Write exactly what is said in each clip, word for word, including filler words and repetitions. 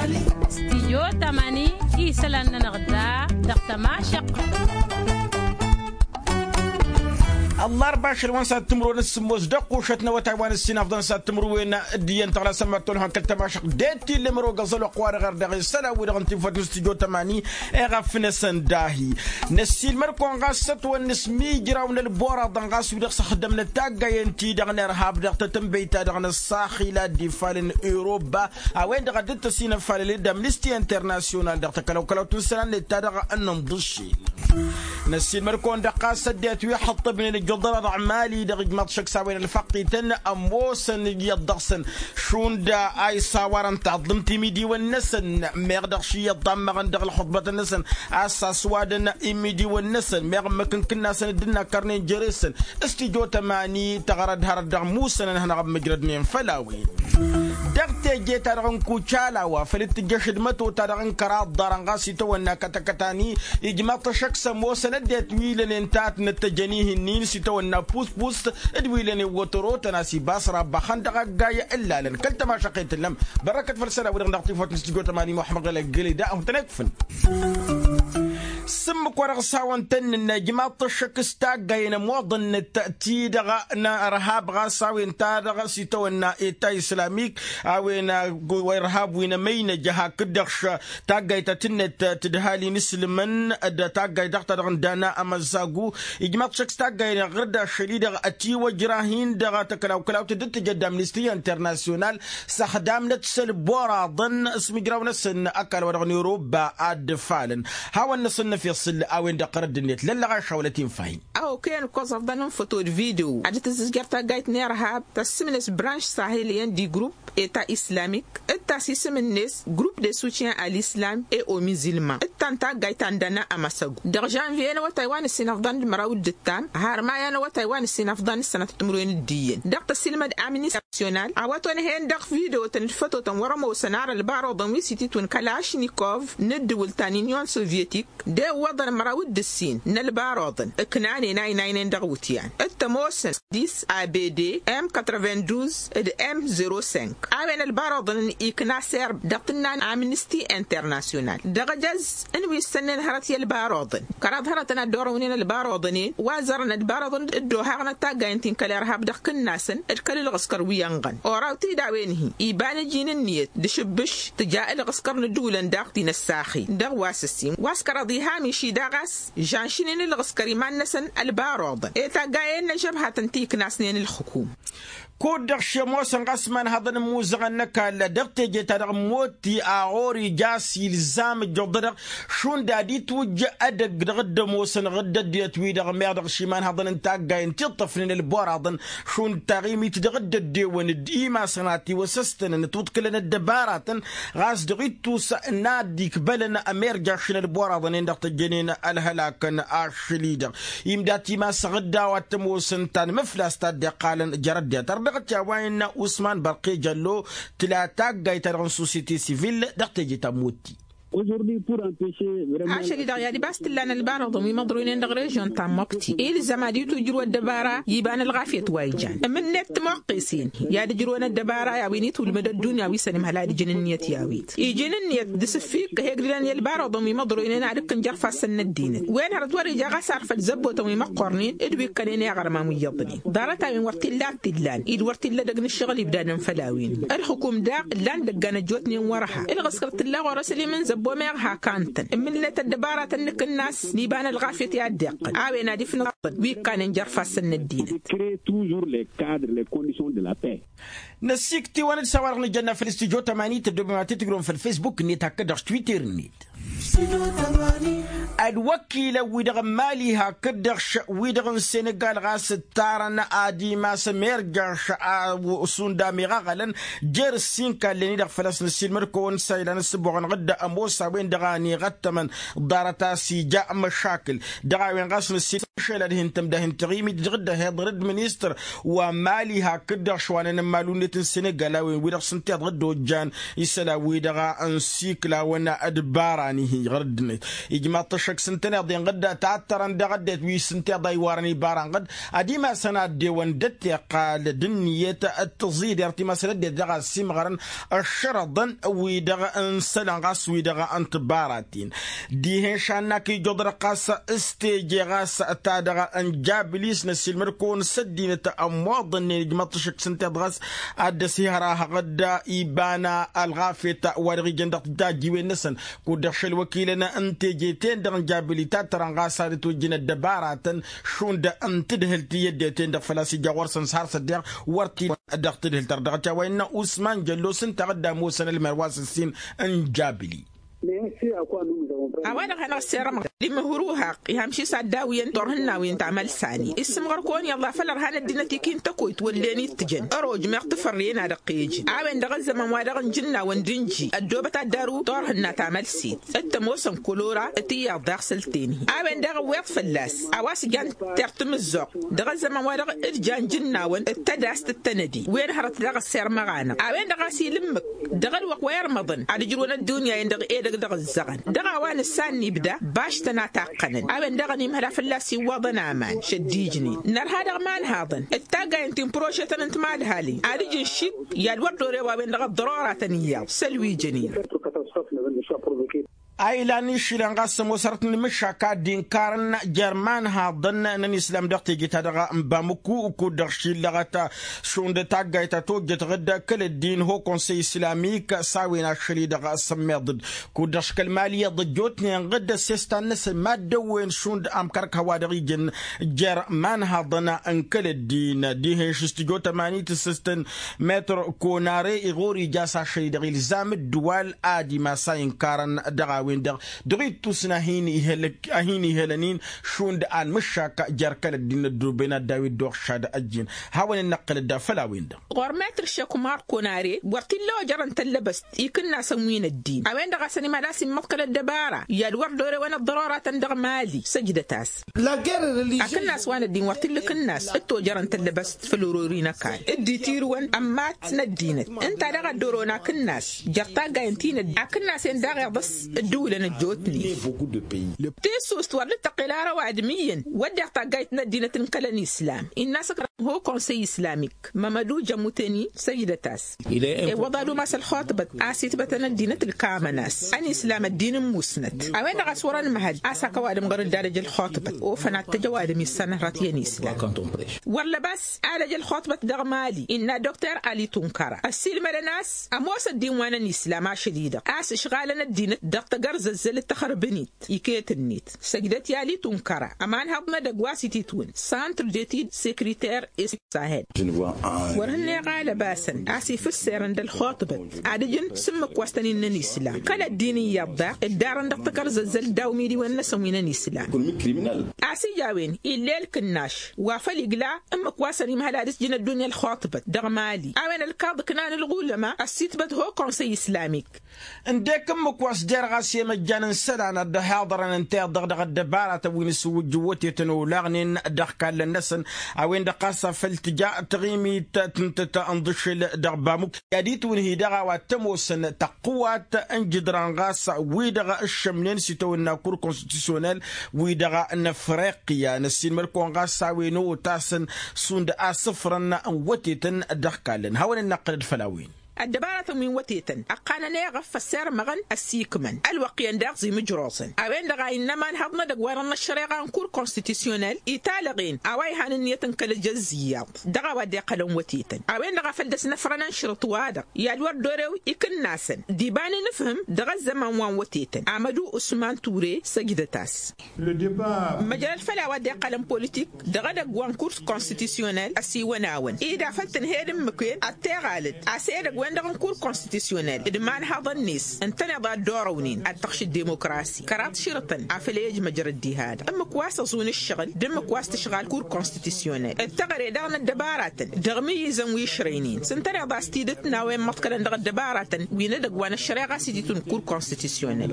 Stijyo tămani isălan-nănăɣ da dăɣ-tămašăqq. Ăllarba ašăl wa n-sad timǝrwen s-sǝmmos dăɣ-kušăt n-awătay wa n-ǝssin afḍăn s-ad timǝrwen d-iyyăn tăɣlasăn mad-tolhăn kăl-tămašăqq. Deti lămăro găẓăl oqq wa dăɣ-erdăɣ isălan-wi-dăɣ n-tinfăt n-stijyo tămani. Eɣăf n-esăn dahi năssiilmăr-kăwăn ɣas s-ătwănna s-mijraw n-ălboraḍăn ɣas wi-dăɣ s-ăxdămnăt taggayen-ti-dăɣ n-irhab dăɣ-tetǝnbăyt-ta-dăɣ n-ăṣṣaxila d-ifalăn europa a-wen-dăɣ a dd-tăsinăfalăl d-amnisti internasyonal dăɣ-takălawkălawt n-isălan-net-ta-dăɣ n-inḍǝššel. Năssiilmăr-kăwăn-dăɣ ɣas ăddinăt wi ăxăṭṭăbnen ǝjjuḍărăḍ ăɣmali-dăɣ ijmaḍ šăkk s-a-wen ălfăqqităn ămoosăn iyyăḍ dăɣ-săn šund a isawar n-taḍlǝmt imidiwăn-năsăn. Meɣ dăɣ-ši iyyăḍ ḍammăɣăn dăɣ-ălxuḍbătăn-năsăn a-s aswadăn imidiwăn-năsăn meɣ ǝmmǝk n-kǝnnasăn dd-inakkărnen jere-săn. Stijjo tămani tăɣrăd hărăt dăɣ-musăn ănhănăɣ ămmǝjrădnen făll-a-wen. Dăɣ-teje-ta-dăɣ n-kucalawa făl dd-tǝjjăš d-măto-ta-dăɣ n-kăraḍ ḍarăn ɣas itawănna kătăkătani. Ijmăḍ-t ăššăk s-ămoosăn ăddinăt wi lănen tatnăt tăjăn ihǝnnin s-itawănna puspust d-wi lănen wătărotăn a-s ibas rabba xăndăɣ aggay ǝllalăn kăl-tămašăqqet tǝllăm. Bărrăkăt făll-isălan-wi-dăɣ dăɣ-tifawt n-stijjo tămani muḥămmăd ɣălăggăled a hutăn-ekfǝn. S-ǝmmǝk wa dăɣ-s hawăn-tăn-nǝnna ijmaḍ-t ăššăk s-taggayen ămoḍăn-năt ti-dăɣ n-irhab ɣas a-wen-ta-dăɣ s-itawănna eta islamik. A-wen irhab wi n-emăynăj hakd-dăɣ taggayt ta tǝnnăt tǝdhal-in isǝlmăn d-taggayt dăɣ-ta-dăɣ n-dana amăzzagu. Ijmaḍ-t ăššăk s-taggayen iɣrǝd ašăl-i-dăɣ ătiwăjrah-in dăɣ-takălawkălawt dd-tǝjăd amnisti internasyonal s-ăxdamnăt s-ălboraḍăn s-imǝjraw-năsăn ăkall wa dăɣ-n europa ad-dd-ǝfalăn. Hawăn-năsăn năfeṣ s-ǝll a-wen-dăɣ tărădd-net lăllăɣaš hawălăt infahin. A okăyăn ǝkkoẓăḍăn n-foto d-video ad-tǝzzǝzjăr taggayt n-irhab tăssǝmnes branš sahiliyăn d-igrupp eta islamik d-ta s-isǝm-net grupp de soutien a l'islam et au musulman d-ta n-taggayt ta n-dana amăsăgu dăɣ-žănviye n-awătay wa n-ǝssin ăfḍăn d-măraw d-ǝttam har maya n-awătay wa n-ǝssin ăfḍăn d-sănătăt timǝrwen d-iyyăn dăɣ-tăsilmăd amnisti nasyonal a-wa tonhen dăɣ-video-tăn d-fătotăn wăr-ămoosăn ar ălbaroḍăn wi s-ititwǝn kălašnikov n-ǝddǝwǝl ta n-inyon sovyetik. D-ewwăḍăn măraw d-ǝssin n-ălbaroḍăn ǝknanen a inaynen dăɣ-iwǝtyan d-tămoosăn s-dis abd m quatre-vingt-douze d-m zero cinq. A-wen ălbaroḍăn n-ikna serb dăɣ-tǝnna n-amnisti internasyonal dăɣ-ejăz n-wi ǝssănnen hărăt i-ălbaroḍăn kăraḍ hărătăn ad-dd-orăwnen ălbaroḍăn-en wa zărăn ălbaroḍăn dd-ohaɣnăt taggayen ti n-kăl-irhab dăɣ-kǝnnasăn d-kăl-ǝlɣǝskăr wi ănɣăn oraw-t-dd a-wen-hi iba n-iji n-ǝnniyăt d-ašǝbbǝš tǝja ǝlɣǝskăr n-ǝddǝwǝlăn daɣ ti n-ăssaxi dăɣ-wa s-ǝssin wa s-kăraḍ iham iši daɣ a-s žănšǝnen ǝlɣǝskăr iman-năsăn ălbaroḍăn i-taggayen n-ăžžăbhatăn ti ǝknasnen ǝlxǝkum. Kud-dăɣ šemoosăn ɣas imanhăḍăn n-imuzăɣăn n-ăkall dăɣ-teje-ta-dăɣ n-motti a ɣur-ija a-s ilzam ǝjjuḍădăɣ šund ad-itwǝjj edăgg dăɣ-dd-ămoosăn ɣǝdd ăddinăt-wi-dăɣ meɣ dăɣ-išimanhăḍăn n-taggayen ti ǝṭṭăfnen ălboraḍăn šund taɣimit dăɣ-dd-ăddewăn d-imasăn a tiwăsăstănăn ătwǝḍkǝlăn ăddăbaratăn ɣas dăɣ-ittus n-ad-ikbălăn ămirjaš n-ălboraḍăn-en-dăɣ tăjjănen ălhălakăn ašăl-i-dăɣ. Imdat imasăɣ dd-a-wa t-ămoosăn tanmǝflast ta dd-iqqalăn jer-ăddinăt ărdăɣăt i-a-wa innă usman bărqe jăllo tǝla taggayt-ta-dăɣ n-sosyete sivil dăɣ-teje ta n-motti. Ašăl-i-dăɣ i-ad-ibas t-ǝllan ălbaroḍăn wi măḍroynen dăɣ-režyon ta n-măkti ilzăm ad-itwǝjrǝw ăddăbara iba n-ălɣafyăt wa ijan ǝmǝnnet timoqqesen i-ad-ǝjrǝwăn ăddăbara i-a-wen itwǝlmăd ăddunya wi s-ănimhăl ad-ǝjǝn ǝnniyăt i-a-wen iji n-ǝnniyăt d-asǝffik ehegdǝlăn i-ălbaroḍăn wi măḍroynen ad-ǝkkǝn jer-ifassăn n-ăddinăt wen hărăt wăr-ija ɣas ar făll-zăbbotăn wi măqqornen d-wi ǝkkănen i-aɣărman wi iyyăḍnen ḍarăt-a-wen wăr t-illa ad-t-illan-dd wăr t-illa edăgg n-ǝššăɣǝl ibdadăn făll-a-wen ǝlxǝkum daɣ ǝllan dăggan ăjjootnen wăr-ha ǝlɣǝskăr t-illa ɣur-ăslim n-zăbbo meɣ hak a ǝntăn ǝmmǝlnet ăddăbaratăn n-akǝnnas n-iba n-ălɣafyăt i-ad-dd-iqqăl a-wen ad-ifnăḍ wi ǝkkanen jer-ifassăn n-ăddinăt. Năssiikt'-iwăn d-s-a-wa-dăɣ nǝjănna făll-studyo tămani tăddobem ad-t-tǝjrǝwăm făll-facebook-net hakd-dăɣ s-twitter-net. Ălwăkilăn-wi-dăɣ n-mali hakd-dăɣ wi-dăɣ n-senegal ɣas ǝttarăn ad-imas ămirjaš a šund amiɣăɣălăn jer-ǝssin kallen-i-dăɣ făl-a-s năssiilmăd-kăwăn s-a ilan ǝssǝboɣăn ɣǝdda ămoos a-wen-dăɣ a ăniɣăttămăn ḍarăt a-s ija măšakǝl dăɣ-a-wen ɣas năssiilmăd-kăwăn šălad hin-tămda hin-taɣimit dăɣ-dd-ăhiḍrăd ministăr wa n-mali hakd-dăɣ šwanăn n-imalu-net n-senegal a-wen wi-dăɣ s-ǝnta iḍăɣ dd-ojjan isălan-wi-dăɣ n-siklawăn d-bara. ɣur-dd-net ijmaḍ-t ăššăk s-ǝntăneḍ-en ɣǝdda tattărăn dăɣ-ăddinăt wi s-ǝnta iḍa iwarăn ibara n-ɣǝdd ad-imasăn ad-dewăn d-ăttiqal d-ǝnniyăt d-tiẓider timasăn ăddinăt dăɣ-a ăssiimɣărăn ăššărăḍăn wi-dăɣ n-isălan ɣas wi-dăɣ n-tibaraten. Dihen šannăk ijoḍăr ɣas s-teje ɣas ta-dăɣ n-jabli s-năssiilmăd-kăwăn s-ăddinăt ămmoḍănnen ijmăḍ-t ašăk s-ǝnta iḍa ɣas ad-dd-ăsihărăhăɣ-dd iba n-ălɣafyăt wa dăɣ-ijăn dăɣ-tajjiwen-năsăn. Kud-dăɣ šăl wăkilăn n-teje-ten-dăɣ n-jabli tattărăn ɣas ad-ătwăjjǝn ăddăbaratăn šund n-tadhǝlt i-ăddinăt-en-dăɣ făl-a-s ija ɣur-săn s-har s-ăddiɣ wăr t-illa dăɣ-tadhǝlt-ta-dăɣ dăɣ-t a-wa innă usman jăllos ǝnta a dd-ămoosăn ălmer wa s-ǝssin n-jabli. A-wa-dăɣ hanăɣ-ăssirămăɣ imǝhruhăɣ ihămši s-ad-dawǝyăn turhǝnnawen tamălsani issǝmɣăr-kăwăn iyyăḍ a făl ărhan ăddinăt ikin tăkoyt wăllen ittǝjăn ăroj meɣ tǝfărrăyăn ad-ăqqăyăjăn a-wen-dăɣ ăzzăman-wa-dăɣ n-ijǝnnawăn d-inji ăddoobăt ad-daru turhǝnna tamălsit d-tămoosăn kălora t-iyyăḍ daɣ săl-ten-hi a-wen-dăɣ ǝwweḍ fălla-s a-wa s-jan tertǝmǝzzuɣt dăɣ-ăzzăman-wa-dăɣ d-jan ijǝnnawăn d-tădast d-tănădi wen hărăt daɣ ăssirmăɣ-anăɣ a-wen-dăɣ a-s ila ǝmmǝk dăɣ-ălwăqq wa irmăḍăn ad-ǝjrǝwăn ăddunya-en-dăɣ edăgg dăɣ-ǝzzăɣăn dăɣ-a-wa nǝssan n-ibda baštăn a taqqănăn a-wen-dăɣ ănimhăl a fălla-s iwwăḍăn aman šăddijnen nărha dăɣ-imanhaḍăn d-taggayen ti n-prožetăn n-timadhalin ad-ǝjǝn šik i-ad-wăr dorew a-wen-dăɣ ăḍḍăroratăn iyyăḍ săl wi jănen. A ilan išilăn ɣas ămoos hărăt n-imǝššak ad-dd-inkarăn jer-imanhaḍăn n-ănislam dăɣ-teje-ta-dăɣ n-bamǝkku kud-dăɣ šillăɣăt šund taggayt ta tojjăt ɣǝdda kăl-ăddin ho konsăy islamik s-a-wen ašăl-i-dăɣ sămmeḍ-dd kud-dăɣ škăl mali iyyăḍ ăjjootnen ɣǝdda ăssestan-năsăn mad-dăwwen šund amkărk hăwa-dăɣ ijăn jer-imanhaḍăn n-kăl-ăddin dihen šǝstǝjot ămanit ǝssǝstăn metr konare iɣur ija s-ašăl-i-dăɣ ilzam ǝddǝwal ad-imas a inkarăn dăɣ-a-wen-dăɣ dăɣ-ittusna a hin-ihălăn-in šund anmǝššak jer-kăl-ăddin ădduben ad-daw-dd-oɣšad ăjjin. Hawăn-in-năqqǝlăd făll-a-wen-dăɣ. Ɣur-metr šekumar konare wăr t-illa ojărăn tăllăbăst ikǝnnasăn wi n-ăddin a-wen-dăɣ a-s ănimhăl a-s immăḍkăl ăddăbara i-ad-wăr dorewăn ăḍḍăroratăn dăɣ-mali săjdăt-as. Akǝnnas wa n-ăddin wăr t-illa akǝnnas d-tojărăn tăllăbăst făll-orori n-ăkall d-itirǝwăn ămmat n-ăddinăt ǝnta daɣ ad-dd-orăwăn akǝnnas jer-taggayen ti n-ăddin akǝnnas-en daɣ iḍǝs dd-ǝwǝlăn ăjjootnen. Tissust wăr dd-tăqqel ara ăwadǝm iyyăn wădden taggayt n-ăddinăt n-kăl-ănislam innă a-s ăkra ho konsăy islamik mămădu jămutăni săjdăt-as. Iwwăḍ ad-umas ălxuṭbăt a-s itbătăn ăddinăt ǝlkamăn-as ănislam ăddin n-musnăt a-wen-dăɣ a-s wăr-ănmăhăl a-s hak ăwadǝm ɣur-dd ad-ăj ălxuṭbăt ofăn ad-t-ăj ăwadǝm issan hărăt i-ănislam. Wăr lăbas ad-ăj ălxuṭbăt dăɣ-mali innă dokter ali tunkăra ăssiilmădăn a-s ămoos ăddin wa n-ănislam ašăl-i-dăɣ a-s ǝšɣalăn ăddinăt dăɣ-tagărzăzzăl d-taxărbǝnit iket-net săjdăt i-ali tunkăra ămanhăḍ n-edăgg wa s-ititwǝn santr detid sekritar s-sahel. Wăr hǝnneɣ a lăbasăn a-s ifǝsserăn d-ălxuṭbăt ad-ǝjǝn s-ǝmmǝk wa s-tăn-innăn islam kăl-ăddin iyyăḍ daɣ ǝddarăn dăɣ-tagărzăzzăl d-awmidiwen-năsăn wi n-ănislam. A-s ija a-wen illa elkǝnnaš wa făl igla ǝmmǝk wa s-ănimhăl ad-ǝsjǝn ăddunya ălxuṭbăt dăɣ-mali a-wen ălkaḍ ǝknan ǝlɣulăma ăssitbăt ho konsăy islamik. Ǝndek ǝmmǝk wa s-derɣ a-s i-măjjan n-isălan ad-dd-ăhiḍărăn ǝnta iḍăɣ dăɣ-ăddăbaratăn wi n-asǝwwǝjjǝw wătetăn olaɣnen dăɣ-ikallăn-năsăn a-wen-dăɣ ɣas a făl tǝja taɣimit tǝntăt n-iḍǝššǝl dăɣ-bamuk i-ad-itwǝnhǝy dăɣ-a-wa t-ămoosăn tăqqǝwat n-jǝdran ɣas wi-dăɣ ǝššămnen s-itawănna kur konstitusyonel wi-dăɣ n-afriqya năssiilmăd-kăwăn ɣas a-wen otasăn šund asǝfrăn n-wătetăn dăɣ-ikallăn hawăn-in-năqqǝlăd făll-a-wen. Ăddăbaratăn wi n-wătetăn ăqqanăn eɣăf ăssirmăɣăn ăssiikmăn ălwăqq iyyăn daɣ zimǝjroẓăn a-wen-dăɣ a innă ămanhăḍ n-edăgg wa dăɣ-năššăreɣa n-kur konstitusyonel italăɣen a-wa ihan ǝnniyăt n-kăl-ejăzz iyyăḍ dăɣ-a-wa dd-iqqălăn wătetăn a-wen-dăɣ a făl dăr-s-năfrănăn šărǝṭ-wa-dăɣ i-ad-wăr dorew ikǝnnasăn d-iba n-inǝfhǝm dăɣ-ăzzăman wa n-wătetăn amădu usman ture săjdăt-as. Măjrăd făll-a-wa dd-iqqălăn politik dăɣ-edăgg wa n-kur konstitusyonel ăsiwăn-awăn ed afăl tǝnhed ǝmmǝk-en ad-t-iɣalăd a-s edăgg-wen-dăɣ n-kur konstitusyonel d-imanhaḍăn-net ǝntăneḍ ad-dd-orăwnen ad-tăɣš dd-demokrasi kăraḍ širǝtăn afăl ej măjrăd diha-dăɣ ǝmmǝk wa s-ăẓun ǝššăɣǝl d-ǝmmǝk wa s-tǝšɣal kur konstitusyonel d-teɣăre daɣ n-ăddăbaratăn dăɣ-imǝyyǝzăn wi ǝšrăynen s-ǝntăneḍ a-s tidǝt n-a-wa immăḍkălăn dăɣ-ăddăbaratăn wi n-edăgg wa n-ăššăreɣa s-ititun kur konstitusyonel.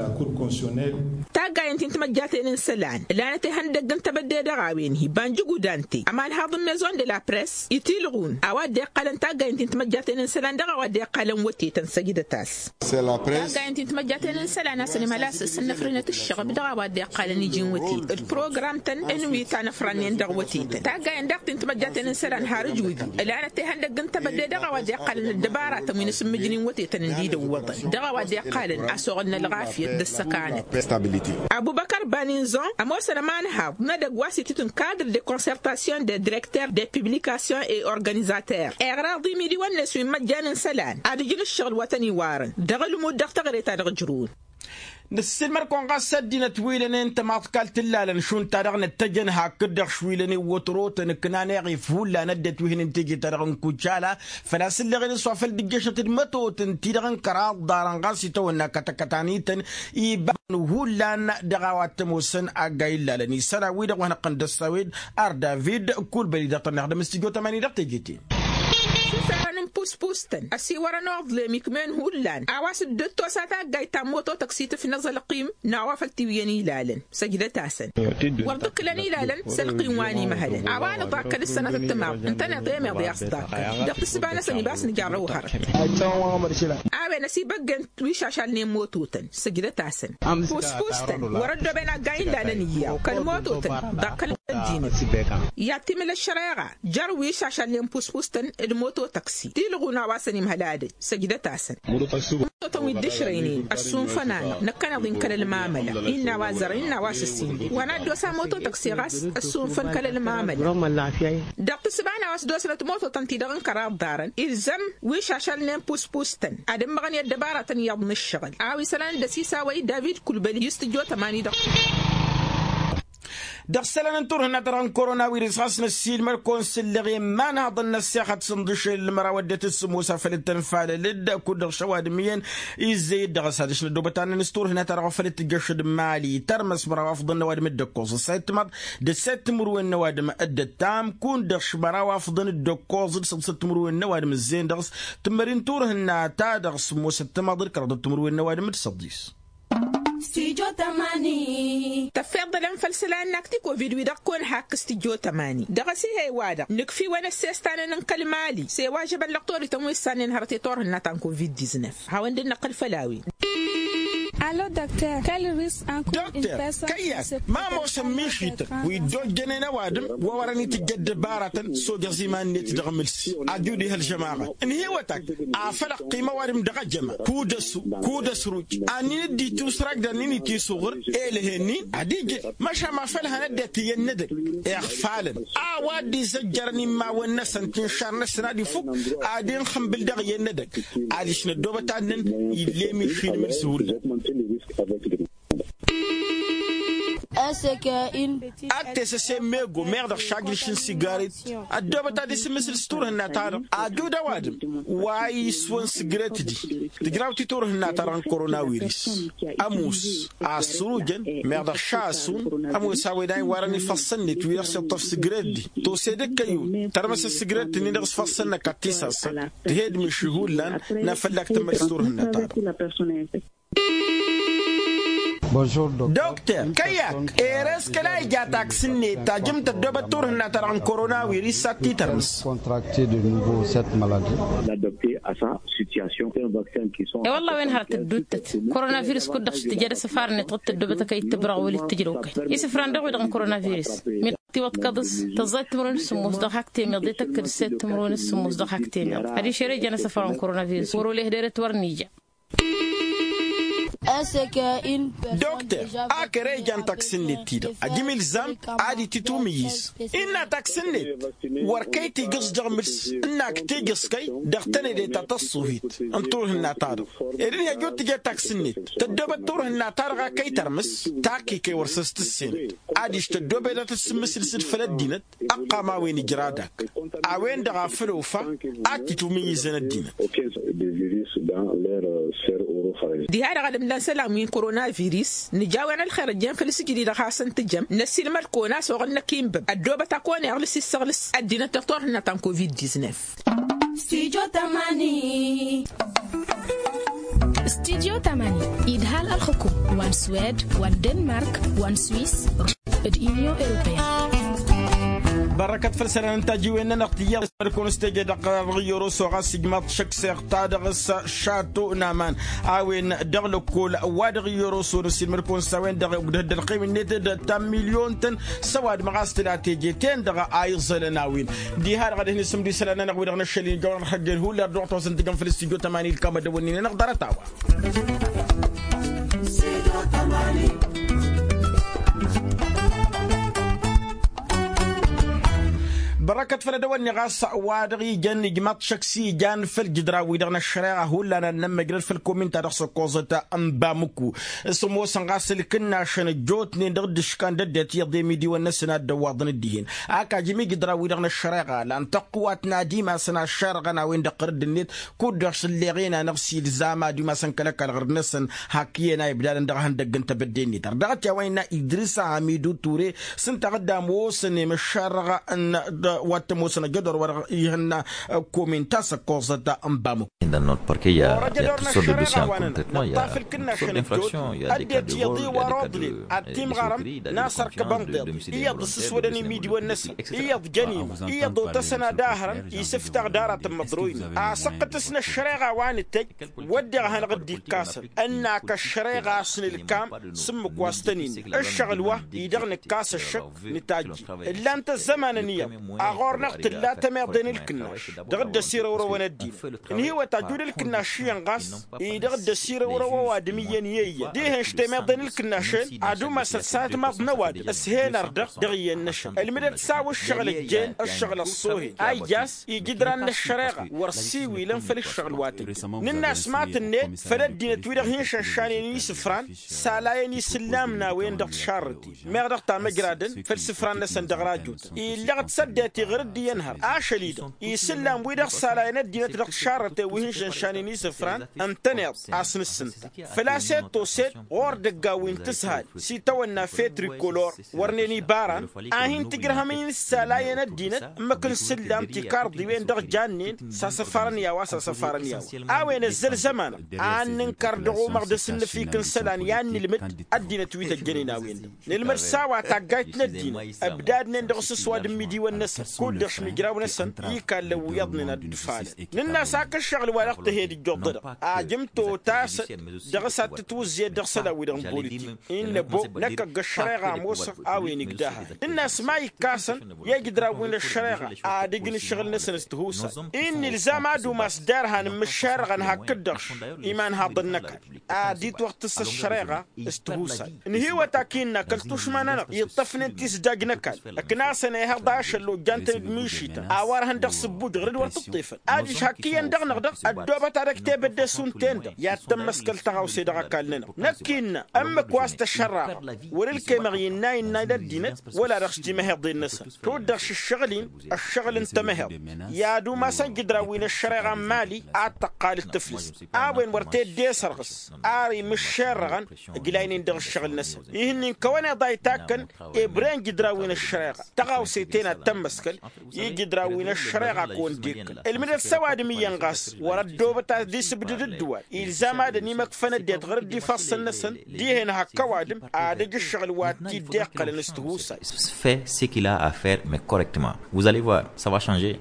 Taggayen ti n-timăjjaten n-isălan ǝlanăt ihăndăgg n-tebădde dăɣ-a-wen-hi banjǝgudante ămanhaḍ n-maison de la press itilɣun a-wa dd-iqqălăn taggayen ti n-timăjjaten n-isălan dăɣ-a-wa iqqalăn wătetăn săjdăt-as. Taggayăn ti n-timăjjaten n-isălan a-s ănimhăl a-s s-ănnăfrăhnăt ǝššăɣb dăɣ-a-wa dd-iqqalăn iji n-wătetăn d-program-tăn ǝnwi ta năfrannen dăɣ-wătetăn taggayăn daɣ ti n-timăjjaten n-isălan har ǝjwǝdǝw ǝlanăt ihăndăgg n-tebădde dăɣ-a-wa dd-iqqalăn ăddăbaratăn wi n-asǝmmǝjǝn-in wătetăn ǝndidăwwăḍăn dăɣ-a-wa dd-iqqalăn a-s oɣăl n-ălɣafyăt d-ăssăkanăt. Abubăkăr baninzon ămoosăn ămanhaḍ n-edăgg wa s-itǝtǝn kadr de concertation de directeur de publication et organizater iɣraḍ imidiwăn-net wi n-imăjjan n-isălan ad-ǝjǝn ǝššăɣǝl wa tăn-iwarăn dăɣ-ălmud dăɣ-teɣăre ta dăɣ-ǝjrǝwăn. Nǝssilmăr-kăwăn ɣas ăddinăt wi lănen tămaḍkalt ǝllalăn šund-ta-dăɣ năttăjăn hakd-dăɣ šwi lănen wătrotăn ǝknan eɣif hullan ăddinăt wi hǝnǝn teje-ta-dăɣ n-kujala făl-a-s ǝlleɣen s-wa făl dd-ǝjjăšăt d-mătotăn-ti-dăɣ n-kăraḍ ḍarăn ɣas itawănna kătăkătanităn ibanăn hullan dăɣ-a-wa t-ămoosăn aggay ǝllalăn isălan-wi-dăɣ wa hanăɣ-tăn-dd-ăssawed ar david kulbăli dăɣ-tăn-ixdăm s-tijot ămani dăɣ-teje-ten. Šusărăn n-puspustăn ăsiwărăn uḍlem ikm'-en hullan a-wa s-dd-tosa taggayt ta n-moto tăksit ǝfnăẓ ălqim n-a-wa făl tiwǝyyăn ilalăn. Săjdăt-asăn wăr dd-ǝkkǝlăn ilalăn s-ălqim wa n-imhălăn a-wa nǝḍakkăl d-sănăt ăttămaḍ ǝntăneḍ i-meḍ i-a-s ḍakkăl dăɣ-tǝssǝba-năsăn ibas nǝjarrăw hărăt. A-wen ăsibăggen wi šašalnen mototăn. Săjdăt-asăn puspustăn wăr-ăddooben agga ilalăn iyyăɣ kăl-mototăn ḍakkăl ăddinăt. I-ad-timǝl ăššăreɣa jer-wi šašalnen puspustăn d-moto tăksi tilɣun a-wa s-ănimhăl adăj. Săjdăt-asăn mototăn wi dd-ǝšrăynen ăssunfăn-anăɣ năkkăneḍ-in kăl-ălmamăla innă a-wa zărăn innă a-wa s-ǝssinde wa n-ad-dd-osa moto tăksi ɣas ăssunfăn kăl-ălmamăla. Dăɣ-tǝssǝba n-a-wa s-dd-osnăt mototăn-ti-dăɣ n-kăraḍ ḍarăn ilzăm wi šašalnen puspustăn ad-ǝmmăɣăn i-ăddăbaratăn iyyăḍ n-ǝššăɣǝl a-wa isălan d-ăsisawăy david kulbăli i-s tǝjjot ămani-dăɣ. Dăɣ-isălan n-turhǝnna-ta-dăɣ n-korona wirǝs ɣas năssiilmăr-kăwăn s-ǝlleɣ i-imanhaḍăn n-ăssexăt s-ǝnḍǝšel ǝlmăraw ăddinăt s-sǝmmos a făl dd-tănfalăl-dd kud-dăɣ šăwadǝm iyyăn izzăy-dd dăɣ-s ad-dăɣ-s năddoobăt annăn s-turhǝnna-ta-dăɣ wa făl dd-tǝjjăšăd mali tărmăs măraw afḍăn n-ăwadǝm dd-ăkkoẓ ăssayăt timaḍ d-ăssayăt timǝrwen n-ăwadǝm dd-ăttam kun-dăɣ š-măraw afḍăn dd-ăkkoẓ d-săḍisăt timǝrwen n-ăwadǝm ǝzzeyăn dăɣ-s tǝmmări n-turhǝnna-ta-dăɣ sǝmmosăt timaḍ d-kăraḍăt timǝrwen n-ăwadǝm d-săḍis. Tăffeḍ dălăm făll-isălan n-ak ti-kovid-wi-dăɣ kăwăn-hakk s-tijot ămani dăɣ-asihăy-wa-dăɣ nǝkf'-iwăn ăssestan-en n-kăl-mali s-e-wa žăbăn lăqtorităn wi ǝssannen hărăt i-turhǝnna ta n-kovid-diznăf. Hawăn-dd-năqqǝl făll-a-wen. Alo dokter kăl-risq ănkun dokter kăyy-ak ma ămoosăn mišităn wi dd-ojjănen ăwadǝm wa wărăn itǝjj ăddăbaratăn s-ojăẓ iman-net dăɣ-imǝlsi. Ad-dd-ihăl žămaɣăt ǝnhǝywăt-ak afăl ăqqim ăwadǝm dăɣ-ejăma kud-ăsu kud-ăsruj. Annin-dd-itusrag d-annin-i tisuɣǝr elăhen-in ad-ijǝd măšan ma făl hăn ăddinăt iyyăn n-edăgg. Iɣfalăn a-wa dd-izăjjărăn immawăn-năsăn tinšar-năsăn ad-ifuk ad-inxǝmbǝl dăɣ-iyyăn n-edăgg. Adiš năddoobăt annăn ill'-e mišin imǝlsi hullan. Ak tesăse mego meɣ dăɣ-s ajrǝš n-sigaret ăddoobăt ad-isǝmmǝsǝl s-turhǝnna-ta-dăɣ ajud ăwadǝm wa iswăn sǝgret-di. Tǝjraw ti turhǝnna-ta-dăɣ n-korona wiris ămoos a ăssărujăn meɣ dăɣ-s a ăsun ămoos a-wen a iwarăn ifăṣṣăn-net wi-dăɣ s-iṭṭăf sǝgret-di. Tose d-ǝkkăyun tărmăsăt sǝgret-ǝnnin-dăɣ s-făṣṣăn năkk ad-t-isăssăn tǝhed miši hullan n-afăllak tǝmmăl s-turhǝnna-ta-dăɣ. Dokter kăyy-ak ere-s kăla ija taks-net tajǝm tăddoobăt turhǝnna-ta-dăɣ n-korona wiris ad-t-tărmǝs. I-wălla a-wen hărăt ădduuttăt korona virus kud-dăɣ s-tǝjăd asăfar-net ɣǝd tăddoobăt a kăy-dd-tǝbrăɣ wăl-ittǝjrăw kăy-isǝfran dăɣ-wi-dăɣ n-korona virus. Miḍ tiwăḍkăḍ s-tăẓẓayăt timǝrwen s-sǝmmos dăɣ-hak temeḍe tăkkăd s-tăẓẓayăt timǝrwen s-sǝmmos dăɣ-hak temeḍ adiš ere jan asăfar n-korona virus wăr-oleh derăt wăr n-ija. Dokter ak ere ijan taks-net-ti-dăɣ ajǝm ilzam ad-itǝtwǝmǝyyǝz. Innă taks-net wăr kăy-tijǝẓ dăɣ-mǝls ǝnn-ak tijǝẓ kăy dăɣ-tănede ta tăṣṣuhit n-turhǝnna-ta-dăɣ. Ed ǝnhăj wăr tǝja taks-net tăddoobăt turhǝnna-ta-dăɣ a kăy-tărmǝs. Takk-i kăy wăr săs-tǝssenăt adiš tăddoobăt ad-tăt-sǝmmǝsǝl s-dd făll-ăddinăt. Ăqqam a-wen ijra dak a-wen-dăɣ a făl ofa ad-t-itwǝmǝyyǝzăn ăddinăt. Diha-dăɣ ad-ǝmlan isălan wi n-korona virus nǝja a-wen ălxer ăjjeen făll-isǝjǝd-i-dăɣ hasăn-tǝjăm năssiilmăd-kăwăn a-s oɣăl năkk inbăb ăddoobăt a kăwăn iɣlǝs issăɣlǝs ăddinăt dăɣ-turhǝnna ta n-kovid-diznăf. Stidyo tamani. Stidyo tamani idhal ălxǝkum wa n-swed wa n-denmark wa n-swis d-inyon europeyăn. Bărrăkăt făll-isălan n-tajiwen-nănăɣ tiyyăḍ s-mădkăwăn s-teje dăɣ-iyyăr oso ɣas ijmaḍ šăkseɣ ta dăɣ-s šato n-aman a-wen dăɣ-lăkkol wa dăɣ-iyyăr oso n-ăssiilmăd-kăwăn s-a-wen-dăɣ ugdăh dd-ălqim-net d-ta n-milyon-tăn s-ăwadǝm ɣas tǝla teje-ten-dăɣ a iẓălăn a-wen. Diha-dăɣ ad-hin-isǝmdǝy isălan-nănăɣ wi-dăɣ n-ăššăl-in ijawăn ărhăjjel hullan d-uɣtosăn tǝjăn făll-studyo tămani ilkam ad-dăwănnin-nănăɣ ḍarăt-a-wa. Bărăkăt făll-ad-dăwănni ɣas wa dăɣ-ijăn ijmaḍ šăkk s-ijan făll-jǝdra-wi-dăɣ n-ăššăreɣa hullan ad-nămmăjrăd făll-komin-ta-dăɣ s-ăkkoẓăt n-bamuku. S-ămoosăn ɣas ǝlkǝnnašăn ăjjootnen dăɣ-dd-ǝškan d-ăddinăt iyyăḍ i-imidiwăn-năsăn a dd-ăwwaḍăn dd-ihin. Ak ajǝm ijǝdra-wi-dăɣ n-ăššăreɣa lan tăqqǝwat n-ad-imasăn aššarăɣăn a-wen-dăɣ ɣărădd-net kud-dăɣ s-ǝlleɣen-anăɣ s-ilzam ad-imasăn kăl-ăkall ɣărădd-năsăn. Hak iyyăn a ibdadăn dăɣ-ihăndăgg n-tebădde-net ărdăɣăt i-a-wa innă idris a hamidu ture s-ǝnta a dd-ămoosăn i-măššarăɣ n-wa t-ămoosăn ăjădor wa dăɣ-ihănna. Komin ta s-ăkkoẓăt n-bamuk. Ăjădor n-ăššăreɣa wa-nănăɣ nǝṭṭaf ǝlkǝnnašăn ăjjootnen ăddinăt iyyăḍ i-wăr oḍlen ad-timɣărăm n-asărkăb ănḍeḍ iyyăḍ ǝssǝswădăn imidiwăn-năsăn iyyăḍ jăn imă iyyăḍ otăsăn ad-ahărăn isǝftaɣ d-aratăn măḍroynen. Asăqqǝtǝs n-ăššăreɣa wa nǝtăjj wădden a hanăɣ-dd-ikkasăn ănn-ak ăššăreɣa a-s nǝlkam s-ǝmmǝk wa s-tăn-innă ǝššăɣǝl wa-i-dăɣ nǝkkas ăššăk. Nǝtajjǝy ǝllan-t ăzzămanăn iyyăḍ a ɣur-năɣ tǝlla tămeḍe n-ǝlkǝnnaš dăɣ-dd-ăsirăwrăwăn ăddinăt ǝnhǝywăt ajud ǝlkǝnnaš iyyăn ɣas-i-dăɣ dd-ăsirăwrăw ăwadǝm iyyăn i-eyyăn dihen š-temeḍe n-ǝlkǝnnaš-en ad-umasăt s-atmaḍ n-ăwadǝm s-hen ărdăɣ dăɣ-iyyăn-năšăn ǝlmǝdăt s-a-wa ǝššăɣǝl ăjjeen ǝššăɣǝl ăṣṣoohen a ijjas ijǝdran n-ăššăreɣa wăr ǝssiwilăn făll-ǝššăɣǝl wa tǝjjăn nǝnn'-as ma tǝnnet făll-ăddinăt wi-dăɣ hin-šănšanen isǝfran s-alayăn isǝllam n-a-wen-dăɣ tišarrăten meɣ dăɣ-tamăjradăn făll-isǝfran-năsăn dăɣ-rajutăn illăɣ-dd s-ăddinăt iɣǝr-dd iyyăn hărăt ašăl-i-dăɣ isǝllam-wi-dăɣ s-alayăn ăddinăt dăɣ-tišarrăten wi hin-šănšanen isǝfran ǝntăneḍ a-s nǝssǝnta făl-a-s i-dd-toset ɣur-dd ăgg-a-wen tǝshal s-itawănna fetrikolor wărnen ibaran a hin-tǝjrăhăm-in s-alayăn ăddinăt ǝmmǝk n-isǝllam tikarḍiwen dăɣ-jannen s-asăfarăn i-a-wa s-asăfarăn i-a-wa a-wen ăzzăl zămanăɣ a ănnǝnkăr dăɣ-omăɣ d-asǝnnǝfik n-isălan i-ad-nǝlmǝd ăddinăt wi tăjjănen a-wen-dăɣ nǝlmǝd s-a-wa taggayt n-ăddinăt ăbdadnen dăɣ-s s-ăwadǝm n-imidiwăn-năsăn kud-dăɣ šmǝjraw-năsăn i-ikallăn wi iyyăḍnen ad-dd-ǝfalăn nǝnn'-as ak ǝššăɣǝl wa dăɣ-tǝhed ǝjjuḍădăɣ ajǝm totăsăt dăɣ-s ad-tǝtwǝzzǝyăt dăɣ-isălan-wi-dăɣ n-politik innă ăbo năkk ăgg-ăššăreɣa ămoosăɣ a-wen igdăhăy nǝnn'-as ma ikkasăn i-ijǝdran wi n-ăššăreɣa ad-ǝjǝn ǝššăɣǝl-năsăn s-tihusay. Innă ilzam ad-umas derhan n-imǝššerăɣăn hakd-dăɣ imanhaḍăn n-ăkall ad-itwăɣtǝs ăššăreɣa s-tihusay ǝnhǝywăt ak innă kăl-tušma-nănăɣ iṭṭăfnen tisdaj n-ăkall ǝknasăn ehăḍ ašăl ojjan-tăn d-mišităn a-wa ărhăn dăɣ-sǝbbuj ɣǝr-dd wăr tǝṭṭefăn adiš hak iyyăn dăɣ-năɣ dăɣ-ăddoobăt ad-ăj tebădde šund-ten-dăɣ i-ad-tămmăskăl tăɣawse dăɣ-ăkall-nănăɣ năkk innă ǝmmǝk wa s-tăšărraɣăɣ wăr-ǝlkemăɣ innă innă d-ăddinăt wăla dăɣ-s timăheḍen-năsăn tud-dăɣ šǝššăɣǝl-in ăššăɣǝl n-tamăheḍt i-ad-umasăn jǝdran wi n-ăššăreɣa n-mali ad-tăqqal d-tǝflǝst a-wen wăr t-dd-e-sărɣǝs ar imǝššerrăɣăn ǝjlaynen dăɣ-ǝššăɣǝl-năsăn ihǝnnin kăwăn-iḍa itakkăn ebren jǝdran wi n-ăššăreɣa tăɣawse-ten ad-tămmăskăl i-jǝdran wi n-ăššăreɣa kăwăn-dd-ikkăl ǝlmǝdăt s-ăwadǝm iyyăn ɣas wăr-ăddoobăt ad-isǝbdǝd ǝddǝwal ilzam ad-ănimăkfăn ăddinăt ɣur-dd ifassăn-năsăn dihen hak ăwadǝm ad-ǝjǝššăɣǝl wa t-dd-iqqălăn s-tihusay. Fait ce qu'il a à faire mais correctement, vous allez voir, ça va changer.